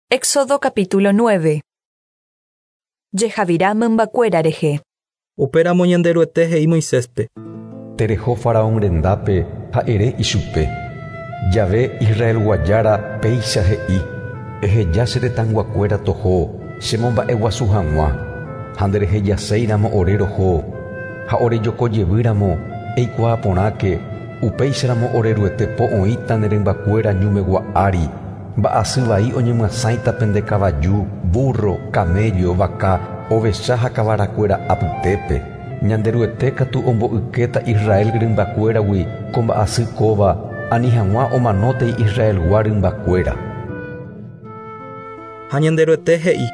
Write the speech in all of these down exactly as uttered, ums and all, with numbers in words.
Éxodo capítulo nueve. Jehavira mymbakuéra rehe. Upéramo Ñanderuete he'i Moiséspe. Tereho faraón rendápe ha ere ichupe. Yahvé Israelgua Jára péicha he'i. Eheja che retãyguakuéra toho, chemomba'eguasu hag̃ua. Ha nderehejaséiramo ore roho, ha orejokojevýramo eikuaa porãke, upéicharamo oreruete po oĩta ne rymbakuéra ñumegua ári. Mba'asy vai oñemyasãita pende kavaju, burro, camello, vaka, ovecha ha kavarakuéra apytépe. Ñanderuete katu omboykéta Israel rymbakuéragui ko mba'asy kóva ani hag̃ua omanótei Israelgua rymbakuéra. Ha Ñanderuete he'i.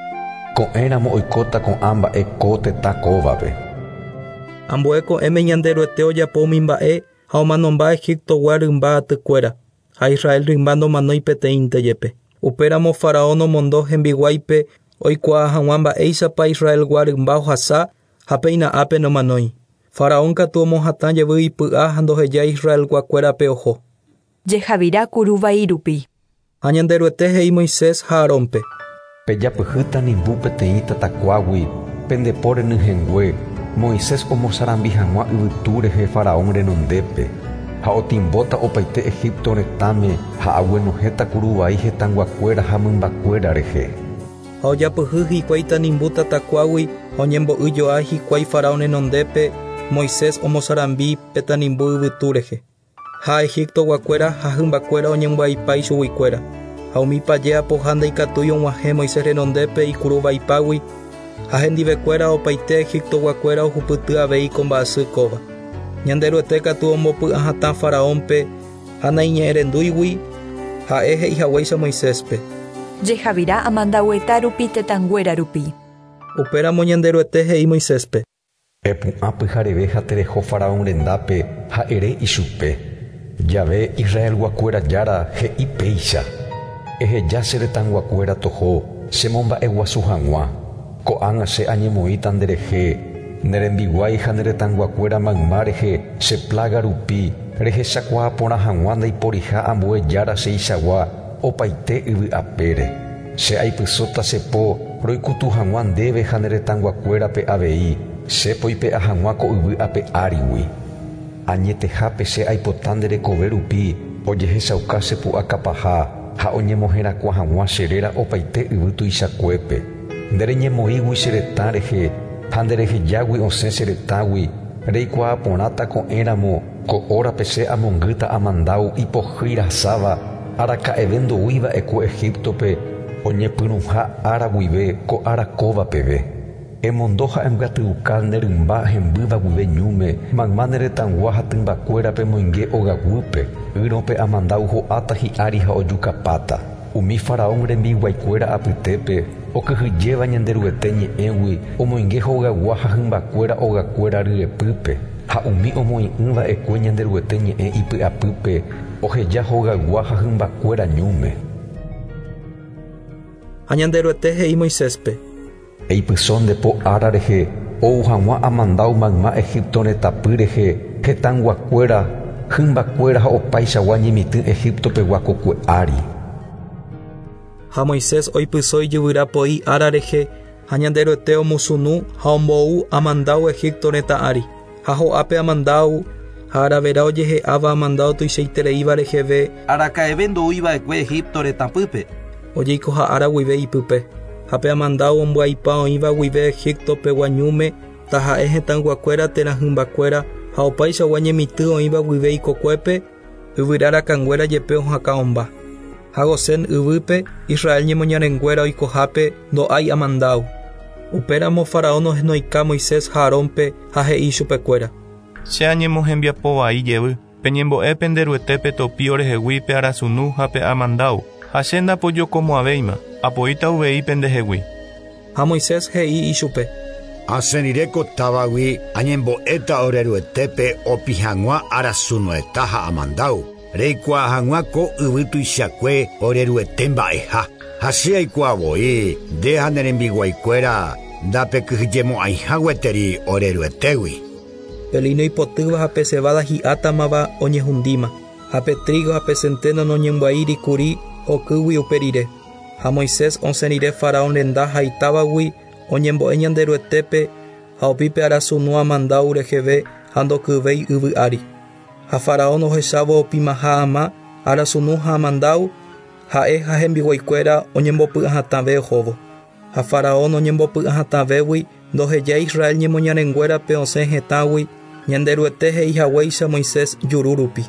Ko'ẽramo oikóta ko'ã mba'e ko tetã kóvape. Ambue ko'ẽme Ñanderuete ojapo umi mba'e ha omanomba Egiptogua rymba atykuéra. Ha Israel rymba ndomanói peteĩnte jepe. Upéramo Faraón omondo hembiguáipe oikuaa hag̃ua mba'éichapa Israelgua rymba ohasa ha péina ápe nomanói. Faraón katu omohatã jevy ipy'a ha ndohejái Israelguakuérape oho. Jehavira kuruvai rupi. Ha Ñanderuete he'i Moisés ha Aarónpe. Pejapyhýta nimbu peteĩ tatakuágui pendepo renyhẽngue Moisés omosarambi hag̃ua yvytu rehe Faraón renondépe. Ha otimbóta opaite Egipto retãme ha aguenohẽta kuruvai hetãyguakuéra ha mymbakuéra rehe. Ha ojapyhy hikuái tanimbu tatakuágui ha oñembo'yjoa hikuái Faraón renondépe Moisés omosarambi pe tanimbu yvytu rehe. Ha Egiptoguakuéra ha hymbakuéra oñembyaipa ichuguikuéra. Ha umi paje apoha ndaikatúi og̃uahẽ Moisés renondépe ikuruvaipágui ha hendivekuéra opaite Egiptoguakuéra ohupyty avei ko mba'asy kóva. Ñanderuete katu ombopy'ahatã Faraónpe ha naiñe'ẽrendúigui ha'e he'ihaguéicha Moiséspe. Jehavira amandaueta rupi tetãnguéra rupi. Upéramo Ñanderuete he'i Moiséspe. Epu'ã pyhareve ha tereho Faraón rendápe ha ere ichupe. Yahvé Israelguakuéra Jára he'i péicha. Eheja che retãyguakuéra toho, chemomba'eguasu hag̃ua. Ko'ág̃a che añemoĩta nderehe. Nerembiguái ha neretãyguakuéra mayma rehe che plaga rupi rehechakuaa porã hag̃ua ndaiporiha ambue jára cheichagua opaite yvy apére. Che aipysóta che po roikutu hag̃ua ndéve ha neretãyguakuérape avei che poipe'a hag̃ua ko yvy ape árigui. Añetehápe che aipota nderekove rupi ojehechauka che pu'akapaha ha oñemoherakuã hag̃ua che réra opaite yvy tuichakuépe. Ndereñemoĩgui che retã rehe ha nderehejágui osẽ che retãgui reikuaa porãta ko'ẽramo ko hórape che amongýta amandáu ipohýi rasáva araka'eve ndoúiva'ekue Egiptope oñepyrũha ára guive ko ára kóva peve. Emondo ha embyatyuka ne rymba hembýva guive ñúme mayma ne retãygua ha tymbakuérape moinge ogaguýpe ýrõpe amandáu ho'áta hi'ári ha ojukapáta. Umi Faraón rembiguaikuéra apytépe okyhyjéva Ñanderuete ñe'ẽgui omoinge hogagua ha hymbakuéra ogakuéra ryepýpe ha umi omoĩ'ỹva'ekue Ñanderuete ñe'ẽ ipy'apýpe oheja hogaygua ha hymbakuéra ñúme. Ha Ñanderuete he'i Moiséspe. Eipyso nde po ára rehe ou hag̃ua amandáu mayma Egipto retãpy rehe hetãyguakuéra hymbakuéra ha opaichagua ñemitỹ Egiptopegua kokue ári. Ha Moisés oipyso ijyvyrapo'i ára rehe ha Ñanderuete omusunu ha ombou amandáu Egipto retã ári. Ha ho'ápe amandáu ha aravera ojehe'áva amandáu tuichaitereíva reheve araka'eve ndoúiva'ekue Egipto retãpýpe. Ojeikoha ára guive ipype. Ha pe amandáu ombyaipa oĩva guive Egiptopegua ñúme taha'e hetãyguakuéra térã hymbakuéra ha opaichagua ñemitỹ oĩva guive ikokuépe yvyra rakãnguéra jepe ohakã'omba. Ha Gosén yvýpe Israel ñemoñarenguéra oikohápe ndo'ái amandáu. Upéramo Faraón ohenoika Moisés ha Aarónpe ha he'i chupekuéra. Che añemohembiapovai jevy peñembo'e penderuetépe topi orehegui pe arasunu ha pe amandáu ha che ndapojokomo'ãvéima apoíta uvei pendehegui. Ha Moisés he'i ichupe. Asẽrire ko távagui añembo'éta oreruetépe opi hag̃ua arasunueta ha amandáu. Reikuaa hag̃ua ko yvy tuichakue oreruete mba'eha. Ha che aikuaa voi nde ha ne rembiguaikuéra ndapekyhyjemo'ãiha gueteri oreruetégui. Pe lino ipotýva ha pe cebada hi'átamava oñehundíma. Ha pe trigo ha pe centeno noñembya'íri kuri okýgui upe rire. Ha Moisés osẽ rire Faraón renda ha itávagui oñembo'e Ñanderuetépe ha opi pe arasunu amandáu reheve ha ndokyvéi yvy ári. Ha Faraón ohechávo opimaha ama arasunu ha amandáu ha'e ha hembiguaikuéra oñembopy'ahatãve ohóvo. Ha Faraón oñembopy'ahatãvégui ndohejái Israel ñemoñarenguérape osẽ hetãgui Ñanderuete he'ihaguéicha Moisés juru rupi.